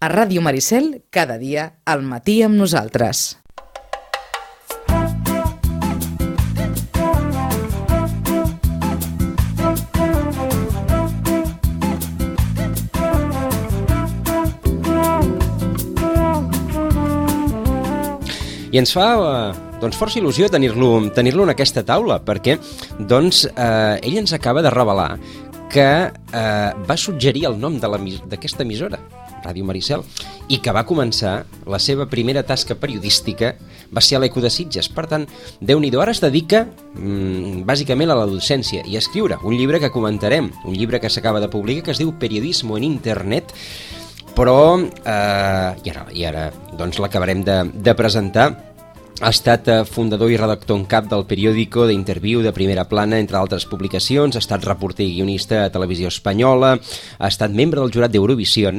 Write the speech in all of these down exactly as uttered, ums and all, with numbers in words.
A Ràdio Maricel, cada dia, al matí amb nosaltres. I ens fa doncs, força il·lusió tenir-lo tenir-lo en aquesta taula, perquè doncs, eh, ell ens acaba de revelar que eh, va suggerir el nom d'aquesta emissora, Ràdio Maricel, i que va començar la seva primera tasca periodística va ser a l'Eco de Sitges. Per tant, Déu-n'hi-do, ara es dedica mmm, bàsicament a la docència i a escriure un llibre que comentarem, un llibre que s'acaba de publicar que es diu Periodismo en Internet, però eh, i ara, i ara doncs, l'acabarem de, de presentar. Ha estat fundador i redactor en cap del periòdico, d'Interviu, de Primera Plana, entre altres publicacions, ha estat reporter i guionista a Televisió Espanyola, ha estat membre del jurat d'Eurovisió,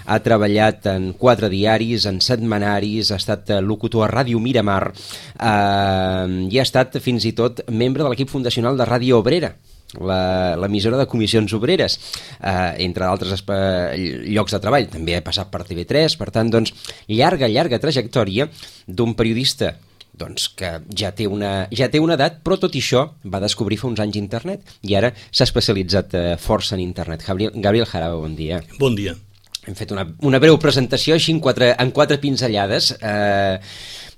ha treballat en quatre diaris, en setmanaris, ha estat locutor a Ràdio Miramar eh, i ha estat fins i tot membre de l'equip fundacional de Ràdio Obrera, l'emissora de comissions obreres, eh, entre altres llocs de treball. També ha passat per T V tres, per tant, doncs, llarga, llarga trajectòria d'un periodista doncs, que ja té, una, ja té una edat, però tot i això va descobrir fa uns anys internet i ara s'ha especialitzat eh, força en internet. Gabriel, Gabriel Jaraba, bon dia. Bon dia. Hem fet una, una breu presentació així en quatre, en quatre pinzellades. Eh,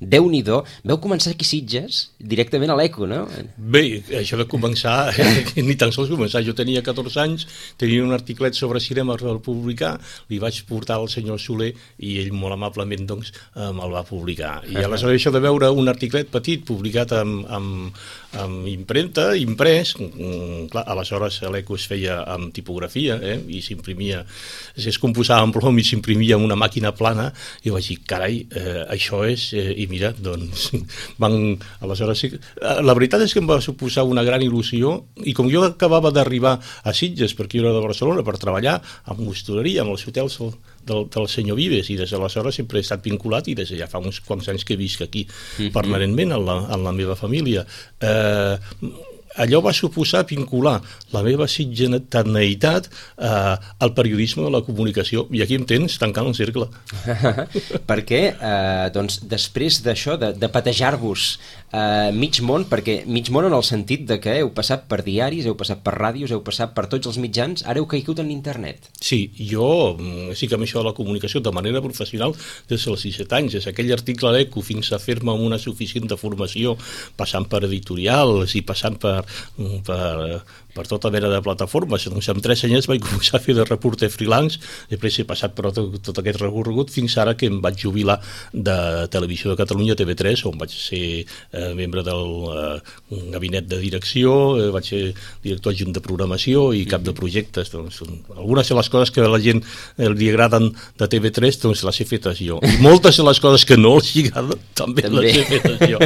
Déu-n'hi-do. Veu començar aquí a Sitges directament a l'Eco, no? Bé, això de començar, ni tan sols començar. Jo tenia catorze anys, tenia un articlet sobre cinema per publicar, li vaig portar al senyor Soler i ell molt amablement doncs, me'l va publicar. I aleshores això de veure un articlet petit publicat amb, amb, amb impremta, imprès, clar, aleshores l'Eco es feia amb tipografia eh, i s'imprimia, es composava en plom i s'imprimia amb una màquina plana i vaig dir, carai, eh, això és... Eh, i mira, doncs, van, aleshores sí, la veritat és que em va suposar una gran il·lusió i com jo acabava d'arribar a Sitges, perquè jo era de Barcelona, per treballar amb l'hostaleria, amb els hotels del, del senyor Vives, i des d'aleshores sempre he estat vinculat i des de ja fa uns quants anys que visc aquí mm-hmm. permanentment en la, en la meva família. Eh, allò va suposar vincular la meva sitgeneïtat eh, al periodisme de la comunicació, i aquí em tens tancant el cercle. Perquè, eh, doncs, després d'això, de, de patejar-vos eh, mig món, perquè mig món en el sentit de que heu passat per diaris, heu passat per ràdios, heu passat per tots els mitjans, ara heu caigut en internet. Sí, jo sí que amb això de la comunicació de manera professional des dels disset anys, des d'aquell article a l'Eco fins a fer-me una suficient de formació, passant per editorials i passant per per, per tota mena de plataformes. Doncs amb tres anys vaig començar a fer de reporter freelance, després he passat per tot, tot aquest recorregut fins ara que em vaig jubilar de Televisió de Catalunya, T V tres, on vaig ser eh, membre del eh, gabinet de direcció, eh, vaig ser director adjunt de programació i cap de projectes. Doncs, algunes de les coses que a la gent eh, li agraden de T V tres doncs les he fetes jo, i moltes de les coses que no els agraden també, també les he fetes jo.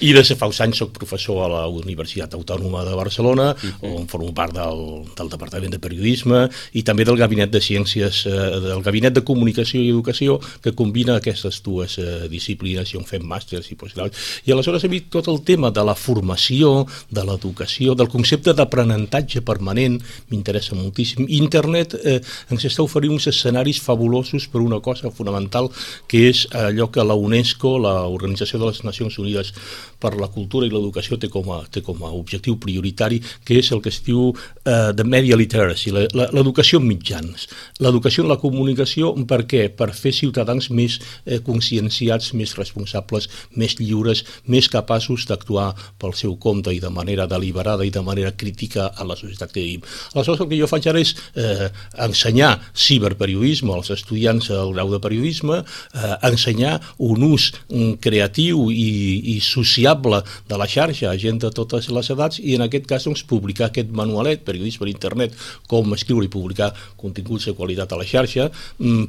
I des de fa uns anys soc professor a la Universitat Autònoma de Barcelona, uh-huh. on formo part del, del Departament de Periodisme i també del Gabinet de Ciències, eh, del Gabinet de Comunicació i Educació, que combina aquestes dues eh, disciplines, i on fem màsters i postgraus. I aleshores a mi tot el tema de la formació, de l'educació, del concepte d'aprenentatge permanent m'interessa moltíssim. Internet eh, ens està oferint uns escenaris fabulosos per una cosa fonamental, que és allò que la UNESCO, l'Organització de les Nacions Unides per la Cultura i l'Educació, té com a, té com a objectiu prioritari, que és el que es diu uh, the media literacy, l'educació en mitjans, l'educació en la comunicació. Per què? Per fer ciutadans més eh, conscienciats, més responsables, més lliures, més capaços d'actuar pel seu compte i de manera deliberada i de manera crítica a la societat que vivim. Aleshores el que jo faig ara és eh, ensenyar ciberperiodisme als estudiants del grau de periodisme, eh, ensenyar un ús mm, creatiu i, i sociable de la xarxa a gent de totes les edats, i en aquest cas doncs, publicar aquest manualet, Periodisme per Internet, com escriure i publicar continguts de qualitat a la xarxa,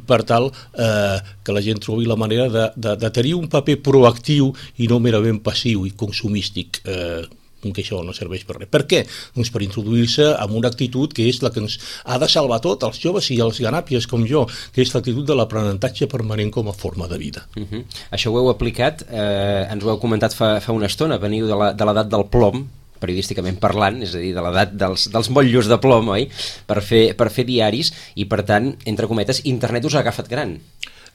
per tal eh, que la gent trobi la manera de, de, de tenir un paper proactiu i no merament passiu i consumístic, eh, que això no serveix per res. Per què? Doncs per introduir-se amb una actitud que és la que ens ha de salvar tot, els joves i els ganàpies com jo, que és l'actitud de l'aprenentatge permanent com a forma de vida. Uh-huh. Això ho heu aplicat, eh, ens ho heu comentat fa, fa una estona, veniu de l'edat del plom, periodísticament parlant, és a dir, de l'edat dels, dels motllos de plom, oi? Per fer, per fer diaris, i per tant, entre cometes, internet us ha agafat gran.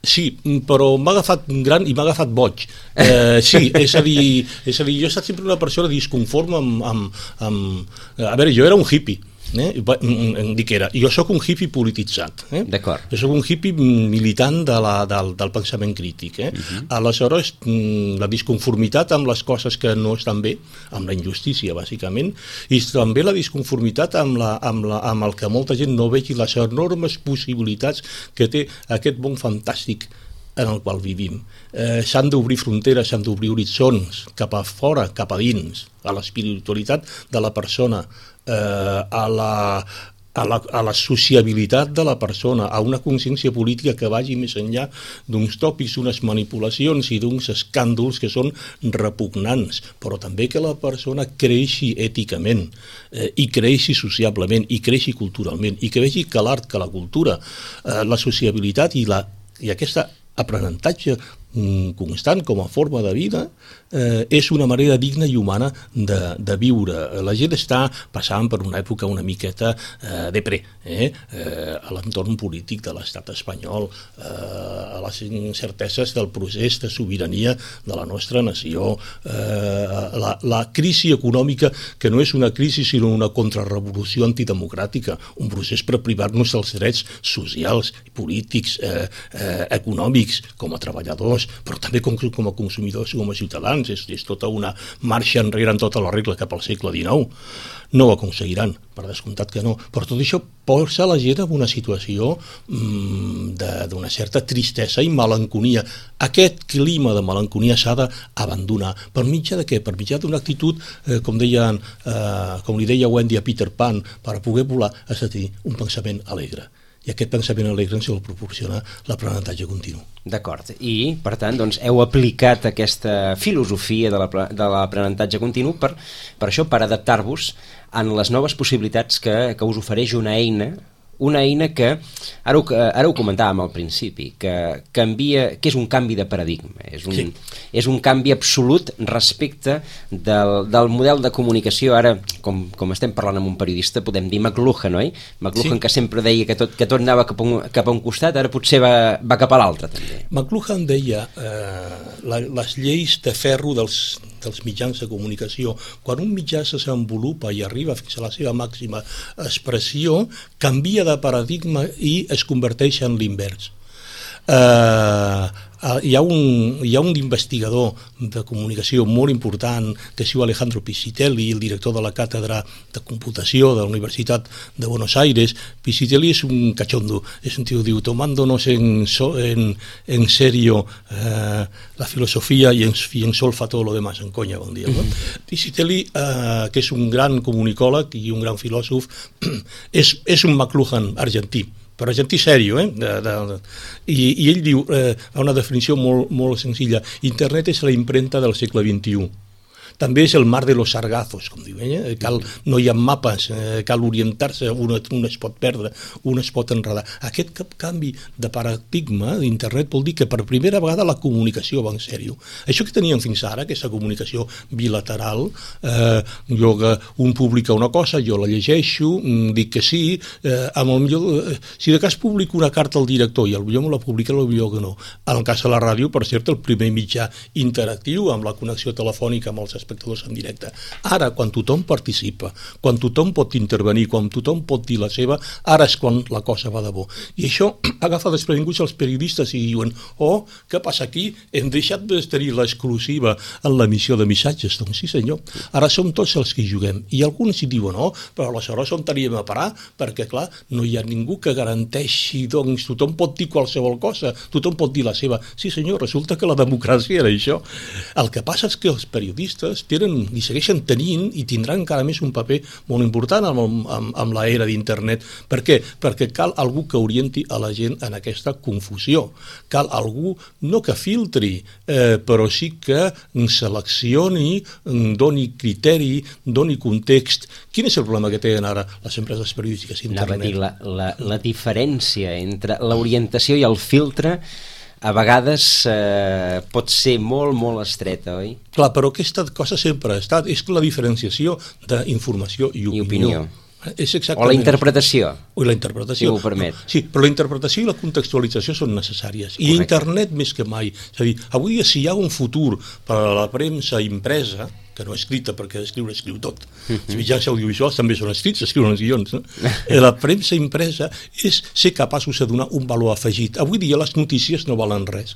Sí, però m'ha agafat gran i m'ha agafat boig. Eh, sí, és a dir, és a dir, jo he estat sempre una persona disconforme amb, amb, amb... A veure, jo era un hippie, eh? em dic que era. Jo sóc un hippie polititzat. Eh? D'acord. Jo sóc un hippie militant de la, del, del pensament crític. Eh? Uh-huh. Aleshores, la disconformitat amb les coses que no estan bé, amb la injustícia, bàsicament, i també la disconformitat amb, la, amb, la, amb el que molta gent no vegi les enormes possibilitats que té aquest món fantàstic en el qual vivim. Eh, s'han d'obrir fronteres, s'han d'obrir horitzons cap a fora, cap a dins, a l'espiritualitat de la persona, eh, a la... A la, a la sociabilitat de la persona, a una consciència política que vagi més enllà d'uns tòpics, d'unes manipulacions i d'uns escàndols que són repugnants, però també que la persona creixi èticament, eh, i creixi sociablement, i creixi culturalment, i que vegi que l'art, que la cultura, eh, la sociabilitat i, la, i aquesta aprenentatge constant com a forma de vida eh, és una manera digna i humana de, de viure. La gent està passant per una època una miqueta eh, de pre, eh, eh, a l'entorn polític de l'estat espanyol, eh, a les incerteses del procés de sobirania de la nostra nació, eh, la, la crisi econòmica que no és una crisi sinó una contrarrevolució antidemocràtica, un procés per privar-nos dels drets socials, polítics, eh, eh, econòmics, com a treballadors, però també com, com a consumidors i com a ciutadans. És, és tota una marxa enrere en tota la regla cap al segle dinou. No ho aconseguiran, per descomptat que no, però tot això posa la gent en una situació mmm, d'una certa tristesa i melanconia. Aquest clima de melanconia s'ha d'abandonar. Per mitjà de què? Per mitjà d'una actitud, eh, com, deien, eh, com li deia Wendy a Peter Pan, per poder volar, és a dir, un pensament alegre. I aquest pensament alegre ens el proporciona l'aprenentatge continu. D'acord, i per tant doncs, heu aplicat aquesta filosofia de l'aprenentatge continu per, per això, per adaptar-vos en les noves possibilitats que, que us ofereix una eina, una eina que, ara ho, ara ho comentàvem al principi, que canvia, que és un canvi de paradigma, és un, sí. és un canvi absolut respecte del, del model de comunicació. Ara, com, com estem parlant amb un periodista, podem dir McLuhan, oi? McLuhan, sí. Que sempre deia que tot, que tot anava cap a, un, cap a un costat, ara potser va, va cap a l'altre també. McLuhan deia eh, la, les lleis de ferro dels, dels mitjans de comunicació. Quan un mitjà se desenvolupa i arriba fins a la seva màxima expressió, canvia de paradigma i es converteix en l'invers. Eh, hi ha un, hi ha un investigador de comunicació molt important que es diu Alejandro Piscitelli, el director de la càtedra de computació de la Universitat de Buenos Aires. Piscitelli és un cachondo, és un tio que diu, tomándonos en, so, en, en serio eh, la filosofia i en, i en solfa todo lo demás, en conya, bon dia. No? Piscitelli, eh, que és un gran comunicòleg i un gran filòsof, és, és un McLuhan argentí, però argentí sèrio, eh? De, de, de. I, i ell diu, eh, una definició molt, molt senzilla: internet és la impremta del segle vint-i-u. També és el mar de los sargazos, com diu ella. Cal, no hi ha mapes, eh, cal orientar-se, un, un es pot perdre, un es pot enredar. Aquest canvi de paradigma d'internet vol dir que per primera vegada la comunicació va en sèrio. Això que teníem fins ara, aquesta comunicació bilateral, eh, jo, un publica una cosa, jo la llegeixo, dic que sí, eh, amb el millor, eh, si de cas publico una carta al director i el millor me la publica, el millor que no. En el cas de la ràdio, per cert, el primer mitjà interactiu amb la connexió telefònica amb els espectadors en directe. Ara, quan tothom participa, quan tothom pot intervenir, quan tothom pot dir la seva, ara és quan la cosa va de bo. I això agafa desprevinguts els periodistes i diuen, oh, què passa aquí? Hem deixat de tenir l'exclusiva en l'emissió de missatges. Doncs sí, senyor. Ara som tots els que hi juguem. I alguns hi diuen, no, però aleshores on teníem a parar? Perquè, clar, no hi ha ningú que garanteixi, doncs, tothom pot dir qualsevol cosa, tothom pot dir la seva. Sí, senyor, resulta que la democràcia era això. El que passa és que els periodistes tenen i segueixen tenint i tindran encara més un paper molt important amb, amb, amb l'era d'internet. Per què? Perquè cal algú que orienti a la gent en aquesta confusió. Cal algú, no que filtri, eh, però sí que seleccioni, doni criteri, doni context. Quin és el problema que tenen ara les empreses periodístiques internet? Anava a dir, la, la, la diferència entre l'orientació i el filtre a vegades eh, pot ser molt, molt estreta, oi? Clar, però aquesta cosa sempre ha estat, és la diferenciació d'informació i opinió. I opinió. És o la interpretació. O la interpretació. Si ho permet. Sí, però la interpretació i la contextualització són necessàries. I Correcte. Internet més que mai. És a dir, avui dia si hi ha un futur per a la premsa impresa, que no escrita, perquè escriure escriu tot. Uh-huh. Els mitjans audiovisuals també són escrits, escriuen els guions. No? La premsa impresa és ser capaços de donar un valor afegit. Avui dia les notícies no valen res.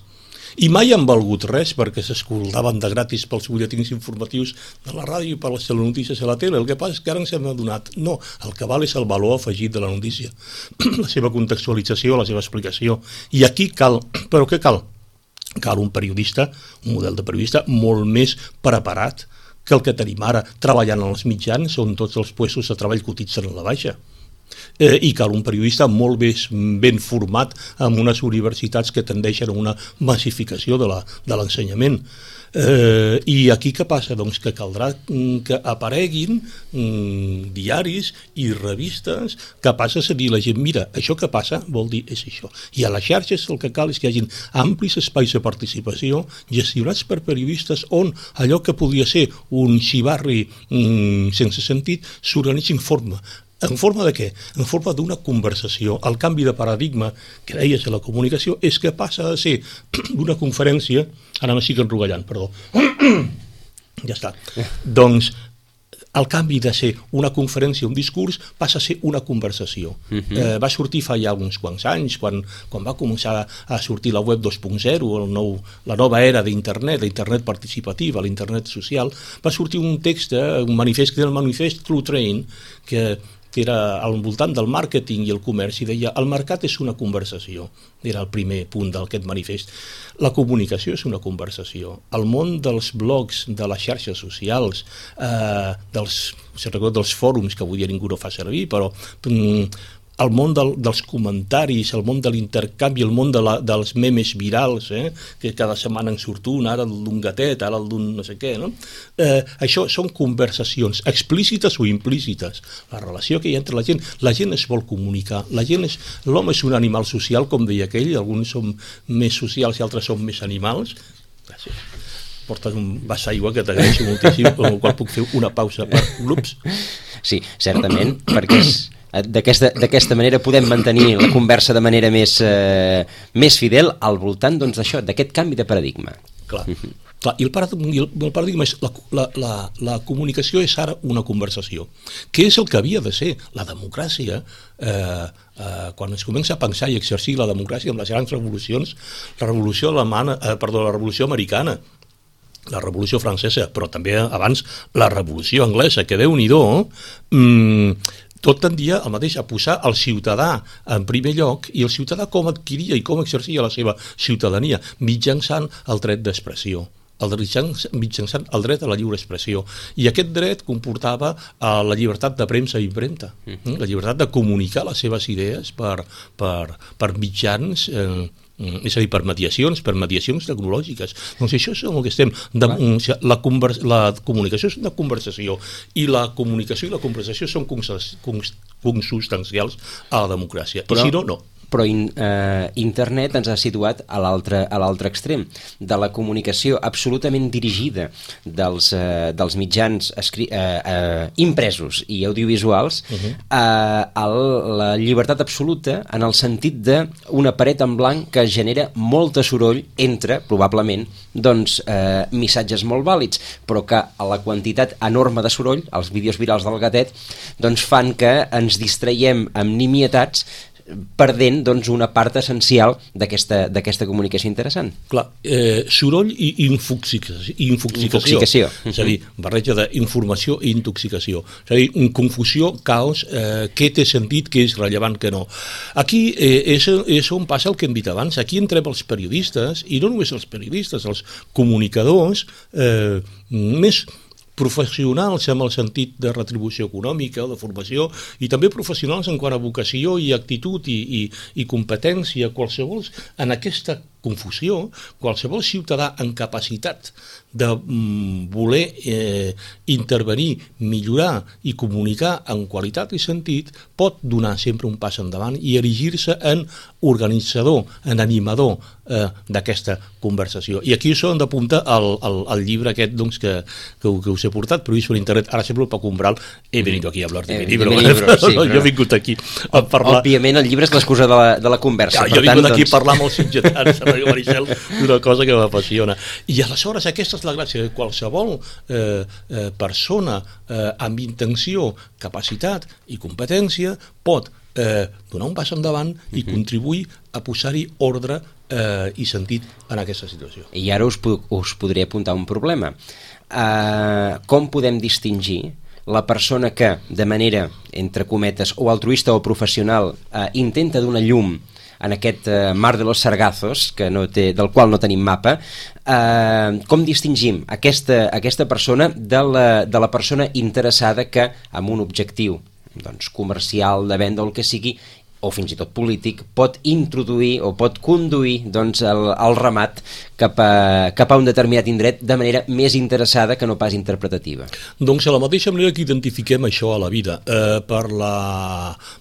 I mai han valgut res perquè s'escoltaven de gratis pels butlletins informatius de la ràdio i per les telenotícies a la tele. El que passa és que ara ens hem adonat. No, el que val és el valor afegit de la notícia, la seva contextualització, la seva explicació. I aquí cal, però què cal? Cal un periodista, un model de periodista molt més preparat que el que tenim ara treballant en els mitjans on tots els puestos de treball cotitzen a la baixa. Eh, i cal un periodista molt més ben format amb unes universitats que tendeixen a una massificació de la, de l'ensenyament. Eh, I aquí què passa? Doncs que caldrà que apareguin mm, diaris i revistes capaces de dir a la gent, mira, això que passa vol dir és això. I a les xarxes el que cal és que hi hagin amplis espais de participació gestionats per periodistes on allò que podria ser un xivarri mm, sense sentit s'organitzi en forma. En forma de què? En forma d'una conversació. El canvi de paradigma que deies a la comunicació és que passa a ser una conferència, ara m'estic enrogallant, perdó, ja està, doncs el canvi de ser una conferència, un discurs, passa a ser una conversació. Uh-huh. Eh, va sortir fa ja uns quants anys, quan, quan va començar a sortir la web dos punt zero, el nou, la nova era d'internet, l'internet participativa, l'internet social, va sortir un text, eh, un manifest, que era el manifest True Train, que que era al voltant del màrqueting i el comerç, i deia, el mercat és una conversació. Era el primer punt d'aquest manifest. La comunicació és una conversació. El món dels blogs, de les xarxes socials, eh, dels, dels fòrums, que avui dia ningú no fa servir, però mm, el món del, dels comentaris, el món de l'intercanvi, el món de la, dels memes virals, eh, que cada setmana en surt un, ara el d'un gatet, ara el d'un no sé què, no? Eh, això són conversacions explícites o implícites. La relació que hi ha entre la gent, la gent es vol comunicar, la gent és, l'home és un animal social, com deia aquell, alguns són més socials i altres són més animals. Gràcies. Portes un vas d'aigua que t'agraeixo moltíssim, amb el qual puc fer una pausa per grups. Sí, certament, perquè és D'aquesta, d'aquesta manera podem mantenir la conversa de manera més, eh, més fidel al voltant doncs, d'això, d'aquest canvi de paradigma. Clar, uh-huh. Clar i el paradigma, el paradigma és la, la, la, la comunicació és ara una conversació. Què és el que havia de ser? La democràcia, eh, eh, quan es comença a pensar i exercir la democràcia amb les grans revolucions, la revolució alemana, eh, perdó, la revolució americana, la revolució francesa, però també abans la revolució anglesa, que Déu-n'hi-do, mmm, tot tendia el mateix a posar el ciutadà en primer lloc i el ciutadà com adquiria i com exercia la seva ciutadania mitjançant el dret d'expressió, el mitjançant el dret a la lliure expressió. I aquest dret comportava uh, la llibertat de premsa i impremta, mm. la llibertat de comunicar les seves idees per, per, per mitjans eh, és a dir, per mediacions, per mediacions tecnològiques. Doncs això és el que estem... De, la, convers, la comunicació és una conversació i la comunicació i la conversació són consubstancials a la democràcia. Però, I si no, no. Però in, eh, internet ens ha situat a l'altre a l'altre extrem, de la comunicació absolutament dirigida dels, eh, dels mitjans escri eh, eh, impresos i audiovisuals uh-huh. a, a la llibertat absoluta en el sentit d'una paret en blanc que genera molta soroll entre, probablement, doncs, eh, missatges molt vàlids, però que a la quantitat enorme de soroll, els vídeos virals del gatet, doncs fan que ens distraiem amb nimietats perdent doncs, una part essencial d'aquesta d'aquesta comunicació interessant. Clar, eh, soroll i infoxicació. Infoxicació. Infoxicació. És a dir, barreja d'informació i intoxicació. És a dir, confusió, caos, eh, què té sentit, què és rellevant, què no. Aquí eh, és, és on passa el que hem dit abans. Aquí entrem els periodistes, i no només els periodistes, els comunicadors eh, més professionals amb el sentit de retribució econòmica o de formació, i també professionals en quant a vocació i actitud i, i, i competència, qualsevol en aquesta confusió, qualsevol ciutadà en capacitat de mm, voler eh, intervenir, millorar i comunicar en qualitat i sentit pot donar sempre un pas endavant i erigir-se en organitzador, en animador eh, d'aquesta conversació. I aquí això hem d'apuntar al, al, al llibre aquest doncs, que, que, que us he portat, però per internet, ara sempre el Paco Umbral, he venido aquí a hablar de eh, mi libro, de mi libro sí, no, però... jo he vingut aquí a parlar... Òbviament el llibre és l'excusa de, la, de la conversa. Ja, jo he vingut aquí doncs... a parlar amb els sitgetans, Maricel, d'una cosa que m'apassiona. I aleshores aquesta és la gràcia, que qualsevol eh, eh, persona eh, amb intenció, capacitat i competència pot eh, donar un pas endavant i uh-huh. contribuir a posar-hi ordre eh, i sentit en aquesta situació. I ara us, us podré apuntar un problema. Uh, com podem distingir la persona que, de manera, entre cometes, o altruista o professional, uh, intenta donar llum en aquest uh, mar de los sargazos, que no té, del qual no tenim mapa, uh, com distingim aquesta, aquesta persona de la, de la persona interessada que, amb un objectiu doncs, comercial, de venda o el que sigui, o fins i tot polític, pot introduir o pot conduir doncs, el, el ramat cap a, cap a un determinat indret de manera més interessada que no pas interpretativa. Doncs a la mateixa manera que identifiquem això a la vida, eh, per, la,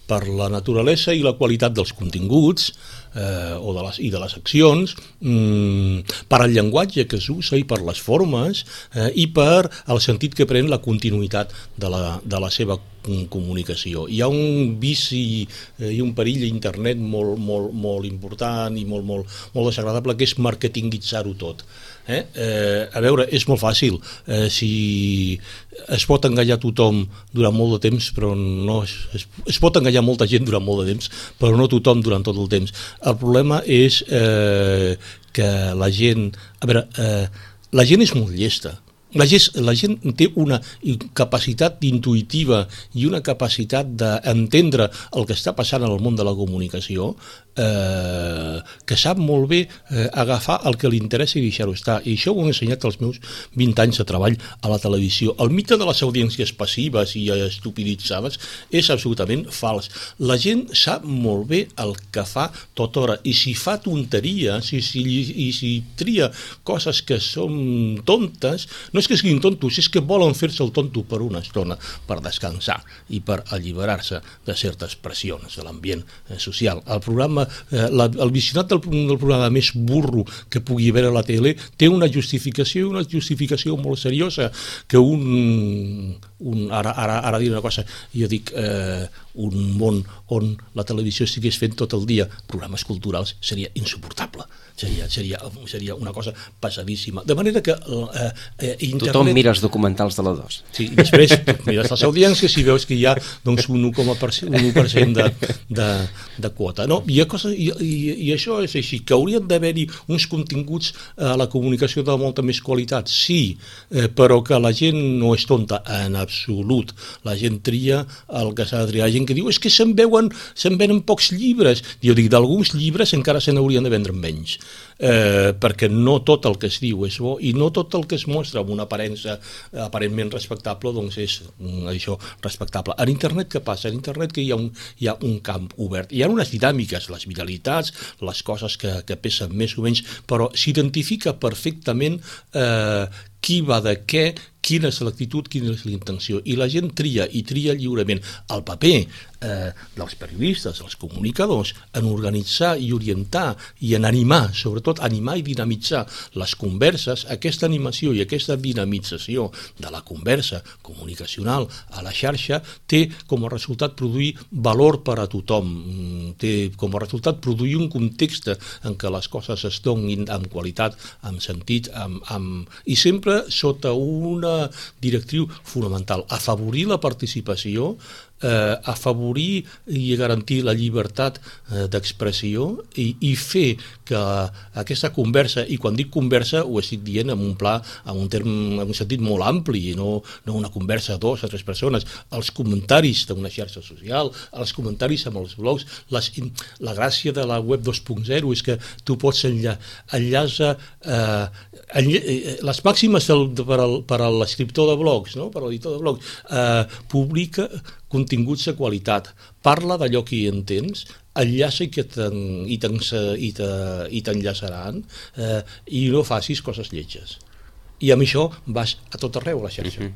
per la naturalesa i la qualitat dels continguts eh, o de les, i de les accions, mm, per al llenguatge que s'usa i per les formes eh, i per el sentit que pren la continuïtat de la, de la seva comunicació. Hi ha un vici eh, i un perill a internet molt, molt, molt important i molt, molt, molt desagradable, que és marketingitzar-ho tot. Eh? Eh, a veure, és molt fàcil. Eh, si es pot enganyar tothom durant molt de temps, però no es, es, es pot enganyar molta gent durant molt de temps, però no tothom durant tot el temps. El problema és eh, que la gent... A veure, eh, la gent és molt llesta. La gent, la gent té una capacitat intuïtiva i una capacitat d'entendre el que està passant en el món de la comunicació eh, que sap molt bé eh, agafar el que li interessa i deixar-ho estar. I això ho he ensenyat als meus vint anys de treball a la televisió. El mite de les audiències passives i estupiditzades és absolutament fals. La gent sap molt bé el que fa tota hora i si fa tonteries i si, i si tria coses que són tontes, no és que siguin tontos, és que volen fer-se el tonto per una estona, per descansar i per alliberar-se de certes pressions de l'ambient eh, social. El programa, eh, la, el visionat del, del programa més burro que pugui haver a la tele té una justificació i una justificació molt seriosa, que un, un ara, ara, ara diré una cosa, jo dic eh, un món on la televisió estigués fent tot el dia programes culturals seria insuportable. Seria, seria, seria una cosa passadíssima. De manera que eh, eh, internet... Tothom mira els documentals de la dos. Sí, i després mires les audiències i veus que hi ha doncs, un u coma u per cent de, de, de quota. No? I, cosa, i, i, I això és així, que haurien d'haver-hi uns continguts a la comunicació de molta més qualitat, sí, eh, però que la gent no és tonta en absolut. La gent tria el que s'ha de triar. La gent que diu, és que se'n veuen, se'n venen pocs llibres. Jo dic, d'alguns llibres encara se n'haurien de vendre menys. Eh, perquè no tot el que es diu és bo i no tot el que es mostra amb una aparença aparentment respectable doncs és mm, això respectable. En internet què passa? En internet que hi ha un, hi ha un camp obert, hi ha unes dinàmiques, les viralitats, les coses que, que pesen més o menys, però s'identifica perfectament eh, qui va de què, quina és l'actitud, quina és la intenció, i la gent tria i tria lliurement. El paper eh, dels periodistes, dels comunicadors, en organitzar i orientar i en animar, sobretot animar i dinamitzar les converses, aquesta animació i aquesta dinamització de la conversa comunicacional a la xarxa té com a resultat produir valor per a tothom, té com a resultat produir un context en què les coses es donin amb qualitat, amb sentit, amb, amb... i sempre sota una directriu fonamental, afavorir la participació, eh, afavorir i garantir la llibertat eh, d'expressió i, i fer que aquesta conversa, i quan dic conversa ho estic dient en un pla, en un terme, en un sentit molt ampli, no, no una conversa a dos o tres persones, els comentaris d'una xarxa social, els comentaris amb els blogs, les, la gràcia de la web dos punt zero és que tu pots enlla, enllaça eh, enlla, eh, les màximes del, per, al, per a l'escriptor de blogs, no? Per a l'editor de blogs, eh, publica continguts de qualitat, parla d'allò que hi entens, enllaça i que t'enllaçaran, eh, i no facis coses lletges. I amb això vas a tot arreu a la xarxa. Mm-hmm.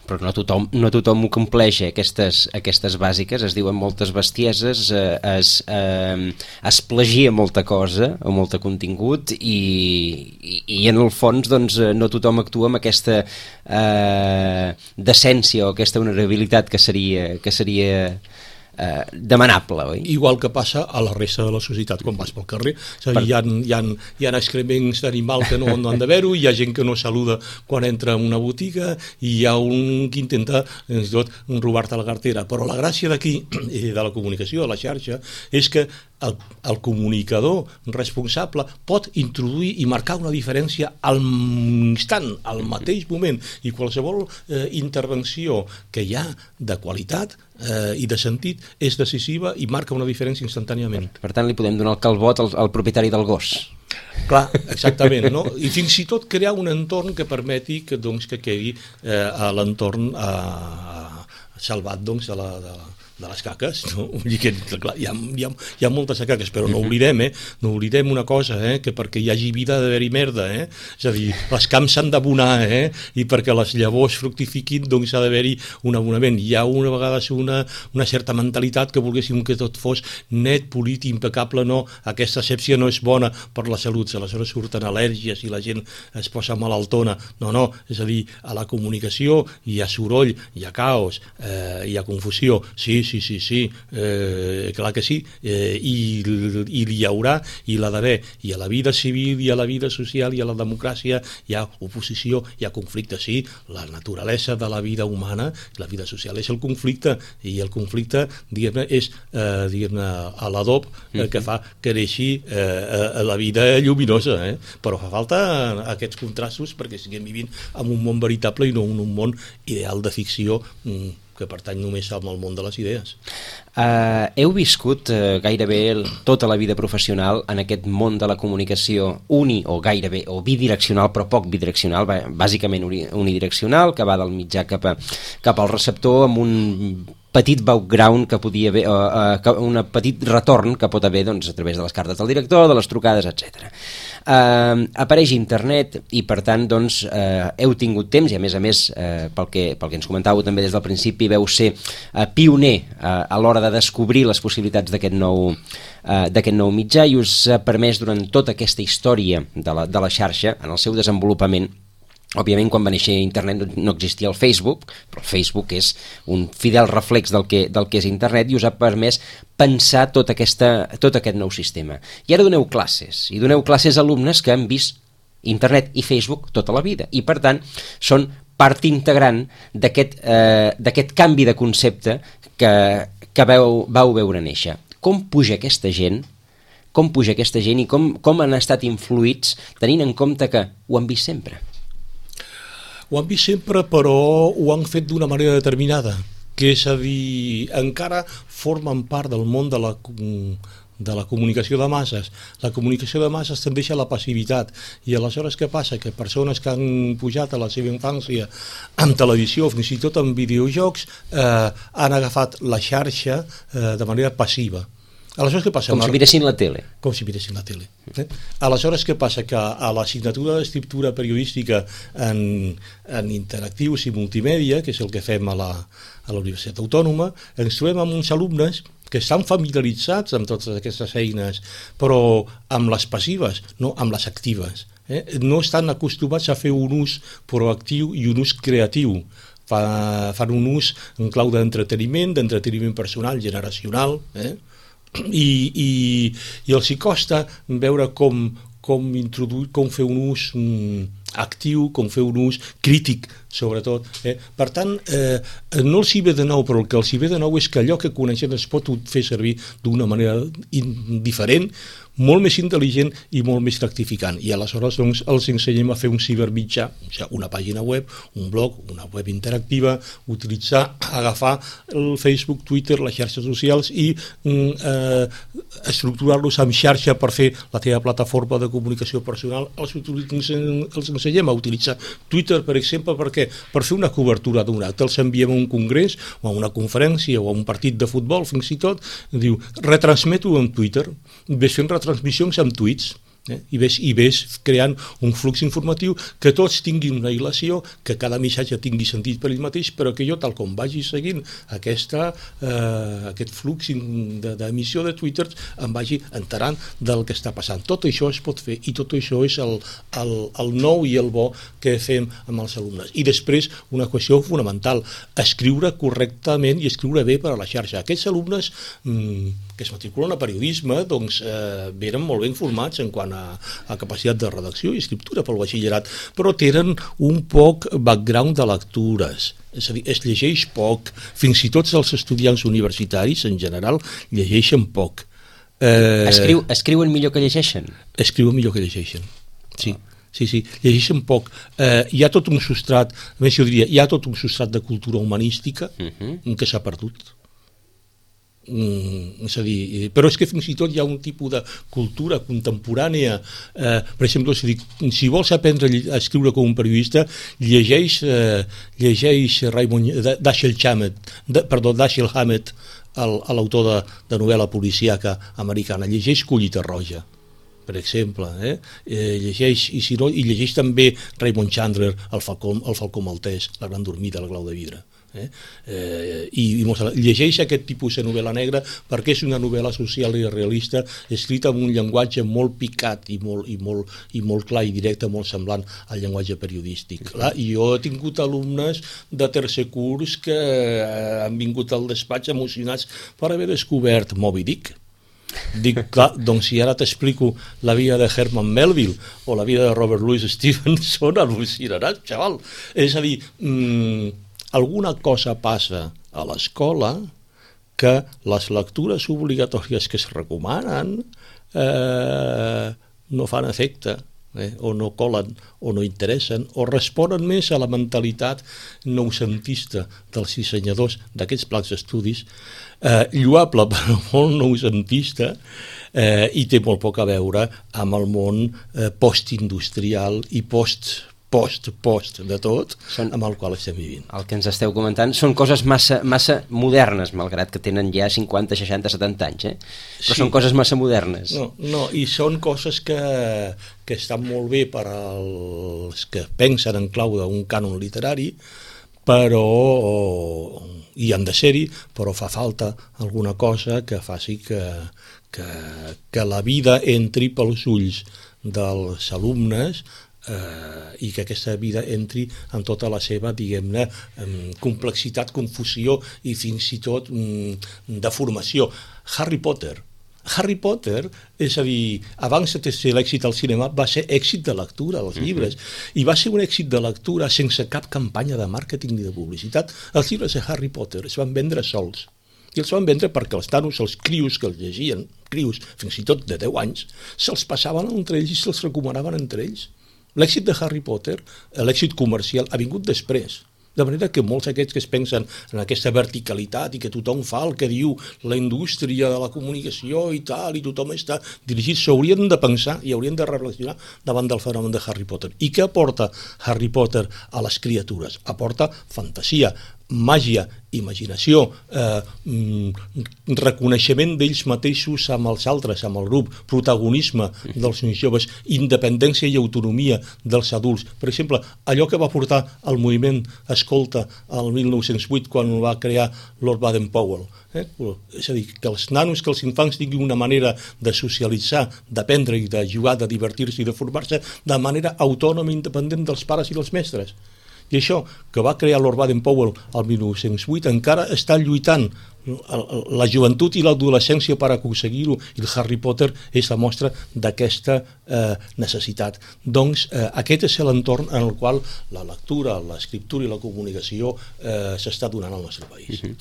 Però no tothom, no tothom ho compleix, eh? aquestes, aquestes bàsiques, es diuen moltes bestieses, eh, es, eh, es plagia molta cosa o molt contingut i, i, i en el fons doncs, no tothom actua amb aquesta eh, decència o aquesta honorabilitat que seria, que seria eh, demanable, oi? Igual que passa a la resta de la societat quan vas pel carrer. És a dir, per... hi, ha, hi, ha, hi ha excrements d'animal que no, no han d'haver-ho, hi ha gent que no saluda quan entra en una botiga i hi ha un que intenta fins i tot robar-te la cartera. Però la gràcia d'aquí, de la comunicació, de la xarxa, és que el, el comunicador responsable pot introduir i marcar una diferència al instant, al mateix moment, i qualsevol eh, intervenció que hi ha de qualitat eh, i de sentit és decisiva i marca una diferència instantàniament. Per, per tant, li podem donar el calbot al, al propietari del gos. Clar, exactament, no? I fins i tot crear un entorn que permeti que, doncs, que quedi eh, a l'entorn eh, salvat doncs, de la... De la de les caques, no? Vull dir que, clar, hi, ha, hi, ha, hi ha moltes caques, però no oblidem, eh? No oblidem una cosa, eh? Que perquè hi hagi vida ha d'haver-hi merda, eh? És a dir, els camps s'han d'abonar, eh? I perquè les llavors fructifiquin, doncs ha d'haver-hi un abonament. Hi ha una vegada una, una certa mentalitat que volguéssim que tot fos net, polit, impecable, no, aquesta asèpsia no és bona per la salut, aleshores surten al·lèrgies i la gent es posa malaltona. No, no, és a dir, a la comunicació hi ha soroll, hi ha caos, eh, hi ha confusió, sí, sí, sí, sí, eh, clar que sí, eh, i, i hi haurà, i l'ha d'haver, i a la vida civil, i a la vida social, i a la democràcia hi ha oposició, hi ha conflicte, sí, la naturalesa de la vida humana, la vida social és el conflicte, i el conflicte, diguem-ne, és eh, diguem-ne, a l'adob eh, que fa que neixi eh, la vida lluminosa, eh? Però fa falta aquests contrastos perquè siguem vivint en un món veritable i no en un món ideal de ficció mm, que pertany només al món de les idees. Uh, heu viscut uh, gairebé el, tota la vida professional en aquest món de la comunicació uni o gairebé, o bidireccional, però poc bidireccional, bàsicament unidireccional, que va del mitjà cap, a, cap al receptor amb un petit background que podia haver, uh, uh, un petit retorn que pot haver doncs, a través de les cartes del director, de les trucades, etcètera. Uh, apareix internet i per tant doncs, uh, heu tingut temps i a més a més uh, pel, que, pel que ens comentàveu també des del principi veu ser uh, pioner uh, a l'hora de descobrir les possibilitats d'aquest nou, uh, d'aquest nou mitjà i us ha permès durant tota aquesta història de la, de la xarxa en el seu desenvolupament. Òbviament, quan va néixer internet no existia el Facebook, però el Facebook és un fidel reflex del que, del que és internet i us ha permès pensar tot, aquesta, tot aquest nou sistema. I ara doneu classes, i doneu classes a alumnes que han vist internet i Facebook tota la vida, i per tant són part integrant d'aquest eh, d'aquest canvi de concepte que, que veu, vau veure néixer. Com puja aquesta gent, com puja aquesta gent i com, com han estat influïts tenint en compte que ho han vist sempre? Ho han vist sempre, però ho han fet d'una manera determinada, que és a dir, encara formen part del món de la, de la comunicació de masses. La comunicació de masses tendeix a la passivitat, i aleshores què passa? Que persones que han pujat a la seva infància amb televisió, fins i tot amb videojocs, eh, han agafat la xarxa eh, de manera passiva. Aleshores, què passa? Com si miressin la tele. Com si miressin la tele. Eh? Aleshores, què passa? Que a l'assignatura d'escriptura periodística en, en interactius i multimèdia, que és el que fem a la, a la Universitat Autònoma, ens trobem amb uns alumnes que estan familiaritzats amb totes aquestes eines, però amb les passives, no amb les actives. Eh? No estan acostumats a fer un ús proactiu i un ús creatiu. Fa, fan un ús en clau d'entreteniment, d'entreteniment personal, generacional, eh? I, i, i els hi costa veure com, com introduir, com fer un ús mm, actiu, com fer un ús crític, sobretot. Eh? Per tant, eh, no els hi ve de nou, però el que els hi ve de nou és que allò que coneixen es pot fer servir d'una manera in, diferent, molt més intel·ligent i molt més gratificant. I aleshores doncs, els ensenyem a fer un cibermitjà, o sigui, una pàgina web, un blog, una web interactiva, utilitzar, agafar el Facebook, Twitter, les xarxes socials i eh, estructurar-los en xarxa per fer la teva plataforma de comunicació personal. Els, els ensenyem a utilitzar Twitter, per exemple, perquè per fer una cobertura d'un acte els enviem a un congrés o a una conferència o a un partit de futbol, fins i tot, diu, retransmeto en Twitter, ves fent retransmissions amb tuits, eh? I, ves, i ves creant un flux informatiu que tots tinguin una hilació, que cada missatge tingui sentit per ell mateix, però que jo, tal com vagi seguint aquesta, eh, aquest flux d'emissió de, de Twitter, em vagi enterant del que està passant. Tot això es pot fer i tot això és el, el, el nou i el bo que fem amb els alumnes. I després, una qüestió fonamental, escriure correctament i escriure bé per a la xarxa. Aquests alumnes mmm, que es matriculen a periodisme doncs, eh, venen molt ben formats en quant a, a capacitat de redacció i escriptura pel batxillerat, però tenen un poc background de lectures, és a dir, es llegeix poc, fins i tot els estudiants universitaris en general llegeixen poc. Eh, Escriu, escriuen millor que llegeixen? Escriuen millor que llegeixen, sí. Sí, sí, llegeixen poc. Eh, hi ha tot un substrat, a més jo diria, hi ha tot un substrat de cultura humanística uh-huh. que s'ha perdut. Mm, és a dir, però és que fins i tot hi ha un tipus de cultura contemporània, eh, per exemple, si, si vols aprendre a escriure com un periodista, llegeix, eh, llegeix Raymond, Dashiell Hammett, de, perdó, Dashiell Hammett, l'autor de, de novel·la policíaca americana, llegeix Collita Roja, per exemple, eh? Eh, llegeix, i, si no, i llegeix també Raymond Chandler, el Falcó, el Falcó Maltès, La gran dormida, el Glau de vidre. Eh? Eh, i, i llegeix aquest tipus de novel·la negra perquè és una novel·la social i realista escrita amb un llenguatge molt picat i molt, i molt, i molt clar i directe, molt semblant al llenguatge periodístic. Clar, i jo he tingut alumnes de tercer curs que han vingut al despatx emocionats per haver descobert Moby Dick. Dic, clar, doncs si ara t'explico la vida de Herman Melville o la vida de Robert Louis Stevenson, al·lucinaràs, xaval. És a dir, mmm, alguna cosa passa a l'escola que les lectures obligatòries que es recomanen eh, no fan efecte, eh, o no colen, o no interessen, o responen més a la mentalitat noucentista dels dissenyadors d'aquests plans d'estudis, eh, lloable però molt noucentista, eh, i té molt poc a veure amb el món eh, postindustrial i post post, post de tot, són, amb el qual estem vivint. El que ens esteu comentant són coses massa, massa modernes, malgrat que tenen ja cinquanta, seixanta, setanta anys, eh? Però sí. Són coses massa modernes. No, no, i són coses que, que estan molt bé per als que pensen en clau d'un cànon literari, però i han de ser-hi, però fa falta alguna cosa que faci que, que, que la vida entri pels ulls dels alumnes, Eh, i que aquesta vida entri en tota la seva, diguem-ne, complexitat, confusió i fins i tot mm, deformació. Harry Potter. Harry Potter, és a dir, abans de ser l'èxit al cinema, va ser èxit de lectura dels llibres, mm-hmm. i va ser un èxit de lectura sense cap campanya de màrqueting ni de publicitat. Els llibres de Harry Potter es van vendre sols. I els van vendre perquè els nanos, els crios que els llegien, crios fins i tot de deu anys, se'ls passaven entre ells i se'ls recomanaven entre ells. L'èxit de Harry Potter, l'èxit comercial, ha vingut després. De manera que molts d'aquests que es pensen en aquesta verticalitat i que tothom fa el que diu la indústria de la comunicació i tal, i tothom està dirigit, s'haurien de pensar i haurien de reflexionar davant del fenomen de Harry Potter. I què aporta Harry Potter a les criatures? Aporta fantasia, màgia, imaginació, eh, reconeixement d'ells mateixos amb els altres, amb el grup, protagonisme dels joves, independència i autonomia dels adults. Per exemple, allò que va portar el moviment Escolta el mil nou-cents vuit quan el va crear Lord Baden-Powell. Eh? És a dir, que els nanos, que els infants tinguin una manera de socialitzar, d'aprendre i de jugar, de divertir-se i de formar-se de manera autònoma i independent dels pares i dels mestres. I això que va crear Lord Baden-Powell el mil nou-cents vuit encara està lluitant la joventut i l'adolescència per aconseguir-ho, i el Harry Potter és la mostra d'aquesta eh, necessitat. Doncs eh, aquest és l'entorn en el qual la lectura, l'escriptura i la comunicació eh, s'està donant al nostre país. Uh-huh.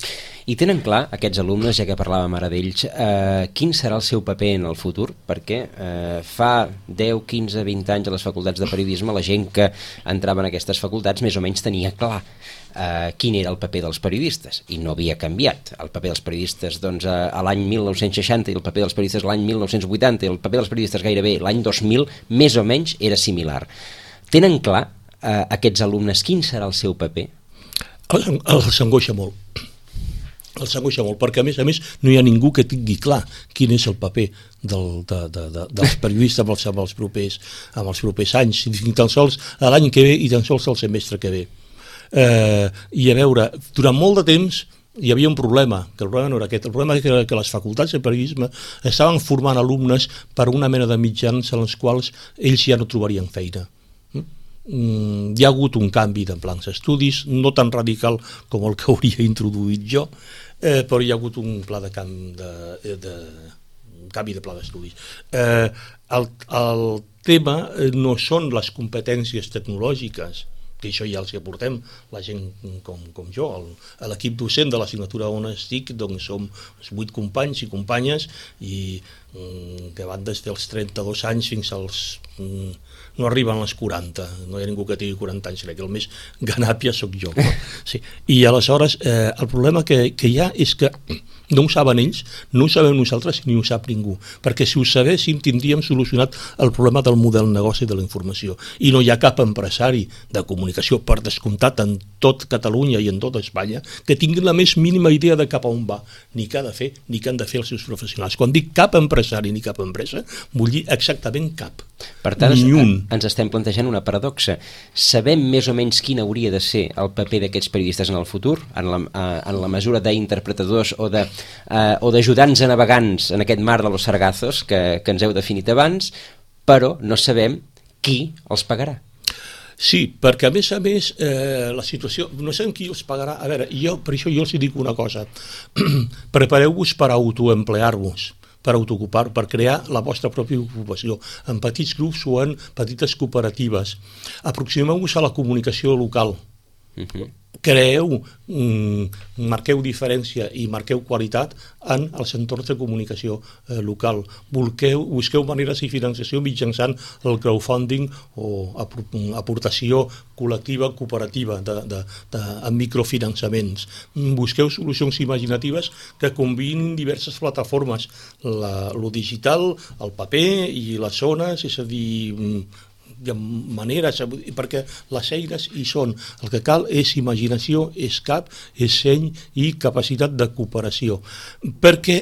I tenen clar, aquests alumnes, ja que parlàvem ara d'ells, eh, quin serà el seu paper en el futur? Perquè eh, fa deu, quinze, vint anys a les facultats de periodisme la gent que entrava en aquestes facultats més o menys tenia clar Uh, quin era el paper dels periodistes, i no havia canviat. El paper dels periodistes doncs, a, a l'any mil nou-cents seixanta i el paper dels periodistes l'any mil nou-cents vuitanta i el paper dels periodistes gairebé l'any dos mil més o menys era similar. Tenen clar uh, aquests alumnes quin serà el seu paper? El, el s'angoixa molt. El s'angoixa molt, perquè a més a més no hi ha ningú que tingui clar quin és el paper del, de, de, de, dels periodistes amb els, amb, els propers, amb els propers anys, ni tan sols l'any que ve i tan sols el semestre que ve. Eh, i a veure, durant molt de temps hi havia un problema, que el problema no era aquest, el problema era que les facultats de periodisme estaven formant alumnes per una mena de mitjans en els quals ells ja no trobarien feina. Mm, hi ha hagut un canvi de plans d'estudis, no tan radical com el que hauria introduït jo, eh, però hi ha hagut un pla de canvi de, de, canvi de pla d'estudis. Eh, el, el tema no són les competències tecnològiques, que això ja els que portem, la gent com, com jo, l'equip docent de l'assignatura on estic, doncs som vuit companys i companyes i mm, que van des dels trenta-dos anys fins als... Mm, no arriben als quaranta, no hi ha ningú que tingui quaranta anys, crec que el més ganàpia sóc jo. No? Sí. I aleshores eh, el problema que, que hi ha és que no ho saben ells, no ho sabem nosaltres ni ho sap ningú, perquè si ho sabéssim tindríem solucionat el problema del model negoci de la informació, i no hi ha cap empresari de comunicació, per descomptat en tot Catalunya i en tot Espanya, que tingui la més mínima idea de cap a on va, ni què ha de fer, ni què han de fer els seus professionals. Quan dic cap empresari ni cap empresa, vull dir exactament cap. Per tant, ens estem plantejant una paradoxa. Sabem més o menys quin hauria de ser el paper d'aquests periodistes en el futur, en la, en la mesura d'interpretadors o de, uh, o d'ajudants a navegants en aquest mar de los sargazos que, que ens heu definit abans, però no sabem qui els pagarà. Sí, perquè a més a més eh, la situació, no sabem qui els pagarà. A veure, jo, per això jo els dic una cosa, prepareu-vos per autoemplear-vos, per autoocupar, per crear la vostra pròpia ocupació, en petits grups o en petites cooperatives. Aproximeu-vos a la comunicació local. Uh-huh. Creeu, mm, marqueu diferència i marqueu qualitat en els entorns de comunicació eh, local. Busqueu, busqueu maneres de financiació mitjançant el crowdfunding o aportació col·lectiva, cooperativa, de, de, de, amb microfinançaments. Busqueu solucions imaginatives que combinin diverses plataformes, la, lo digital, el paper i les zones, és a dir, de maneres, perquè les eines hi són. El que cal és imaginació, és cap, és seny i capacitat de cooperació. Perquè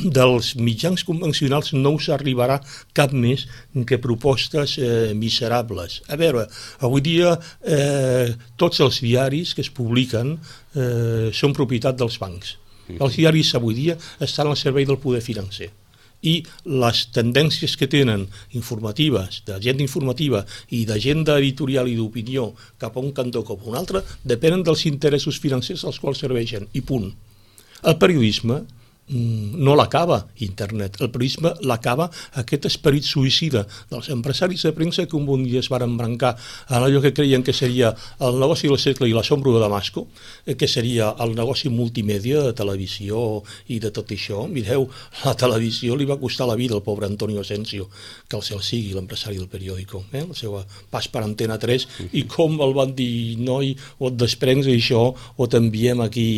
dels mitjans convencionals no us arribarà cap més que propostes eh, miserables. A veure, avui dia eh, tots els diaris que es publiquen eh, són propietat dels bancs. Els diaris avui dia estan al servei del poder financer. I les tendències que tenen informatives, d'agenda informativa i d'agenda editorial i d'opinió cap a un cantó o cap a un altre, depenen dels interessos financers als quals serveixen, i punt. El periodisme no l'acaba internet, el periodisme l'acaba aquest esperit suïcida dels empresaris de premsa que un bon dia es van embrancar en allò que creien que seria el negoci del segle i l'assombro de Damasco, que seria el negoci multimèdia de televisió i de tot això. Mireu, la televisió li va costar la vida al pobre Antonio Asensio, que el cel sigui l'empresari del periòdico, eh? El seu pas per Antena tres, i com el van dir, noi, o et desprens d'això o t'enviem aquí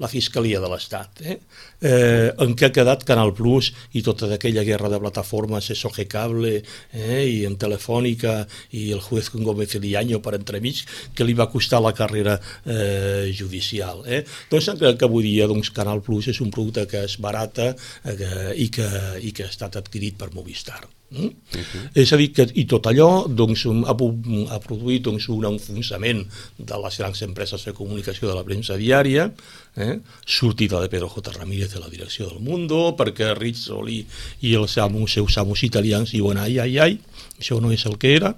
la Fiscalia de l'Estat, eh? Eh, en què ha quedat Canal Plus i tota aquella guerra de plataformes, S O G Cable, eh, i en Telefònica i el juez con Gómez Liaño per entremig, que li va costar la carrera eh, judicial. Eh? Doncs que, que avui dia doncs, Canal Plus és un producte que és barata eh, i, que, i que ha estat adquirit per Movistar. Mm? Uh-huh. És a dir, que i tot allò doncs, ha, ha produït doncs, un enfonsament de les grans empreses de comunicació de la premsa diària, eh? sortida de Pedro J. Ramírez de la direcció del Mundo, perquè Rizzoli i els amos, seus amos italians diuen ai, ai, ai, això no és el que era.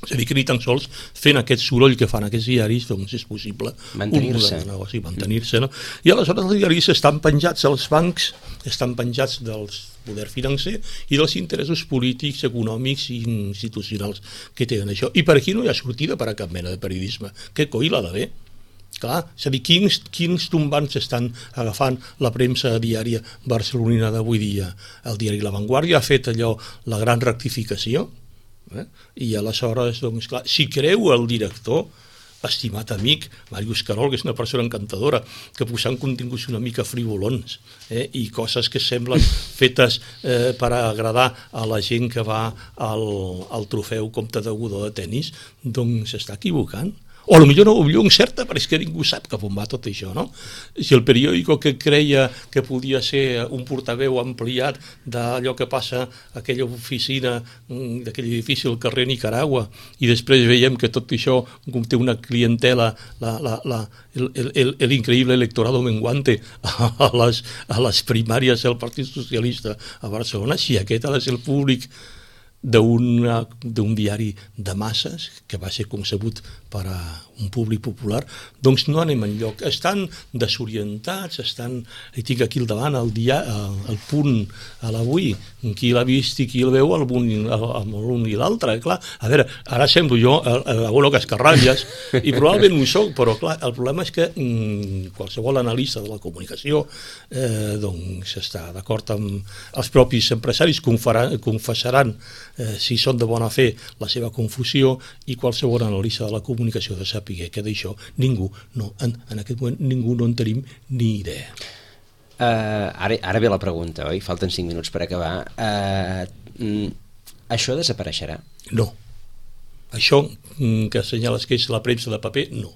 És a dir, que ni tan sols fent aquest soroll que fan aquests diaris doncs és possible mantenir-se. un negoci, mantenir-se, no? I aleshores els diaris estan penjats als bancs, estan penjats del poder financer i dels interessos polítics, econòmics i institucionals que tenen això. I per aquí no hi ha sortida per a cap mena de periodisme. Què coi l'ha d'haver? Clar, és a dir, quins, quins tombants estan agafant la premsa diària barcelonina d'avui dia? El diari La Vanguardia ha fet allò, la gran rectificació, eh? I aleshores, doncs, clar, si creu el director, estimat amic, Màrius Carol, que és una persona encantadora, que posant continguts una mica frivolons eh? I coses que semblen fetes eh, per agradar a la gent que va al, al trofeu Comte de Godó de tennis, doncs s'està equivocant. O potser no, potser encerta, però és que ningú sap cap on va tot això, no? Si el periòdico que creia que podia ser un portaveu ampliat d'allò que passa a aquella oficina d'aquell edifici al carrer Nicaragua, i després veiem que tot això té una clientela, la, la, la, el, el, el increïble electorado menguante a les, a les primàries del Partit Socialista a Barcelona, si aquest ha de ser el públic d'un diari de masses que va ser concebut per a un públic popular, doncs no anem enlloc. Estan desorientats, estan... I tinc aquí al davant el, dia, el, el punt a l'avui, qui l'ha vist i qui el veu, l'un i l'altre, clar. A veure, ara semblo jo l'abuelo Cascarrabias, i probablement ho soc, però clar, el problema és que mm, qualsevol analista de la comunicació eh, doncs està d'acord amb els propis empresaris, confessaran eh, si són de bona fe la seva confusió, i qualsevol analista de la comunicació de saber que d'això ningú, no, en, en aquest moment ningú no en tenim ni idea. Uh, ara, ara ve la pregunta, oi? Falten cinc minuts per acabar. Uh, mm, això desapareixerà? No. Això mm, que assenyales que és la premsa de paper, no.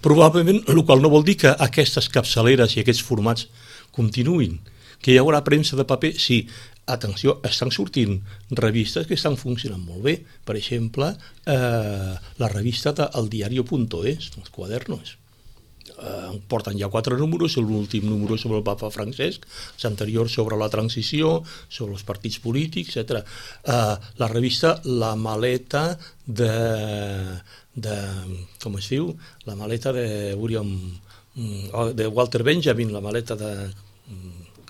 Probablement, el qual no vol dir que aquestes capçaleres i aquests formats continuïn. Que hi haurà premsa de paper, sí. Atenció, estan sortint revistes que estan funcionant molt bé. Per exemple, eh, la revista de eldiario.es, els quadernos. Eh, porten ja quatre números, l'últim número sobre el papa Francesc, l'anterior sobre la transició, sobre els partits polítics, etcètera. Eh, la revista La Maleta de, de... com es diu? La maleta de William... de Walter Benjamin, la maleta de...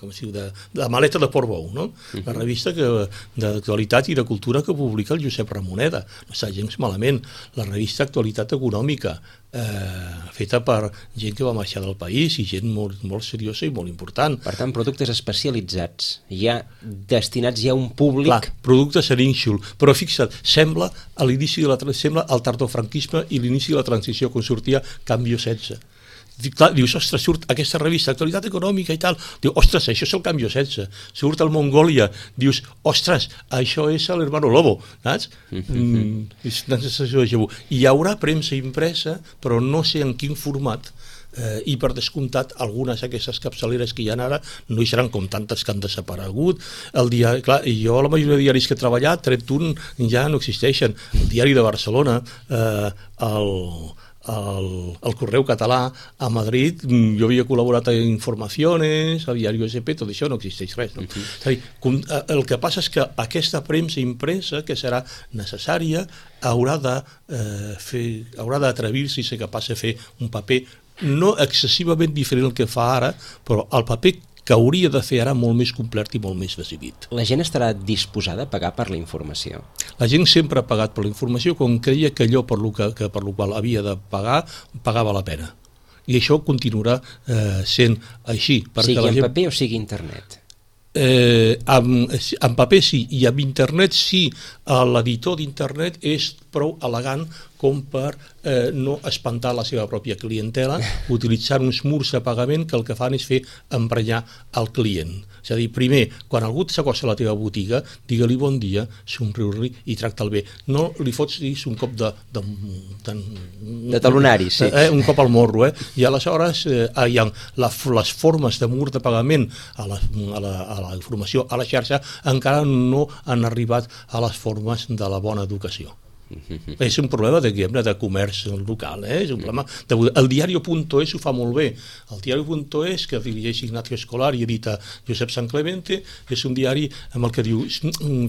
com es diu, de, de la maleta de Portbou, no? Uh-huh. La revista que, d'actualitat i de cultura que publica el Josep Ramoneda. No està gens malament. La revista Actualitat Econòmica, eh, feta per gent que va marxar del país i gent molt, molt seriosa i molt important. Per tant, productes especialitzats, ja destinats ja a un públic... Clar, productes a nínxol. Però fixa't, sembla a l'inici de la, sembla el tardofranquisme i l'inici de la transició, quan sortia Canvio setze. Clar, dius, ostres, surt aquesta revista, Actualitat Econòmica i tal, diu, ostres, això és el Canvio setze, surt el Mongòlia, dius, ostres, això és l'Hermano Lobo, saps? Mm, és una sensació de déjà vu. Hi haurà premsa impresa, però no sé en quin format, eh, i per descomptat algunes d'aquestes capçaleres que hi ha ara no hi seran com tantes que han desaparegut. El diari, clar, jo la majoria de diaris que he treballat, tret un, ja no existeixen. El Diari de Barcelona, eh, el... El, el Correu Català a Madrid, jo havia col·laborat a Informaciones, a Diario S P, tot això no existeix res, no? Uh-huh. És a dir, el que passa és que aquesta premsa impresa, que serà necessària, haurà de eh, fer, haurà d'atrevir-se i ser capaç de fer un paper no excessivament diferent del que fa ara, però el paper que hauria de fer ara molt més complet i molt més decidit. La gent estarà disposada a pagar per la informació? La gent sempre ha pagat per la informació quan creia que allò per lo, que, que per lo qual havia de pagar, pagava la pena. I això continuarà eh, sent així. Sigui la en gent... paper o sigui internet? Eh, amb, en paper sí, i amb internet sí. L'editor d'internet és prou elegant com per eh, no espantar la seva pròpia clientela utilitzant uns murs de pagament que el que fan és fer emprenyar el client. És a dir, primer, quan algú s'acosta a la teva botiga, digue-li bon dia, somriu-li i tracta'l bé. No li fots dir un cop de... De, de, de talonari, sí. Eh, un cop al morro, eh? I aleshores eh, hi ha la, les formes de mur de pagament a la, a, la, a la informació a la xarxa encara no han arribat a les formes de la bona educació. Mm-hmm. És un problema de, de comerç local, eh? És un problema de... El diario.es ho fa molt bé. El diario.es, que dirigeix Ignacio Escolar i edita Josep Sant Clemente, és un diari amb el que diu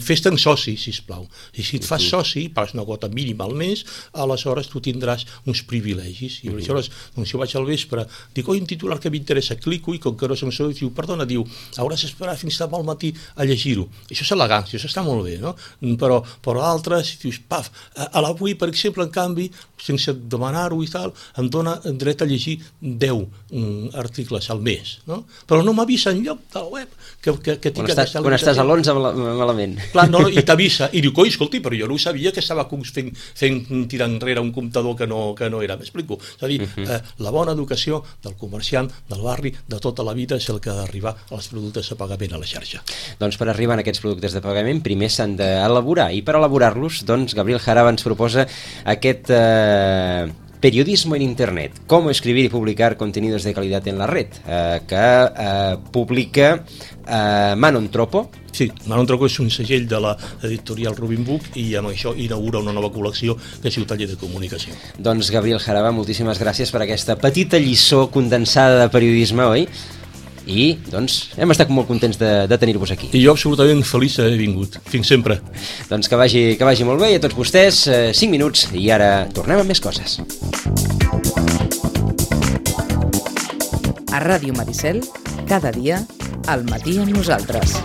fes-te'n soci, sisplau. I si et fas soci, pagues una quota mínima al mes, aleshores tu tindràs uns privilegis. I aleshores, doncs jo vaig al vespre, dic, oi, un titular que m'interessa, clico i com que no som soci, diu, perdona, diu, hauràs d'esperar fins demà al matí a llegir-ho. Això és elegància, això està molt bé, no? Però, però altres, dius, paf, a l'avui, per exemple, en canvi, sense demanar-ho i tal, em dona dret a llegir deu um, articles al mes, no? Però no m'avisa enlloc de la web que, que, que tinc quan aquesta estàs, quan estàs a l'onze malament. Clar, no, i t'avisa, i diu, coi, escolti, però jo no ho sabia que estava fent, fent tirar enrere un comptador que no, que no era, m'explico? És a dir, uh-huh. eh, la bona educació del comerciant, del barri, de tota la vida és el que ha d'arribar als productes de pagament a la xarxa. Doncs per arribar a aquests productes de pagament primer s'han d'elaborar, i per elaborar-los, doncs Gabriel Jaraba ens proposa aquest eh, periodismo en internet, cómo escribir y publicar contenidos de calidad en la red, eh, que eh, publica eh, Manon Tropo. Sí, Manon Tropo és un segell de l'editorial Rubin Book i amb això inaugura una nova col·lecció que es diu Taller de Comunicació. Doncs Gabriel Jaraba, moltíssimes gràcies per aquesta petita lliçó condensada de periodisme, oi? I, doncs, hem estat molt contents de, de tenir-vos aquí. I jo absolutament feliç d'haver vingut. Fins sempre. Doncs que vagi, que vagi molt bé i a tots vostès, eh, cinc minuts i ara tornem amb més coses. A Ràdio Maricel, cada dia, al matí amb nosaltres.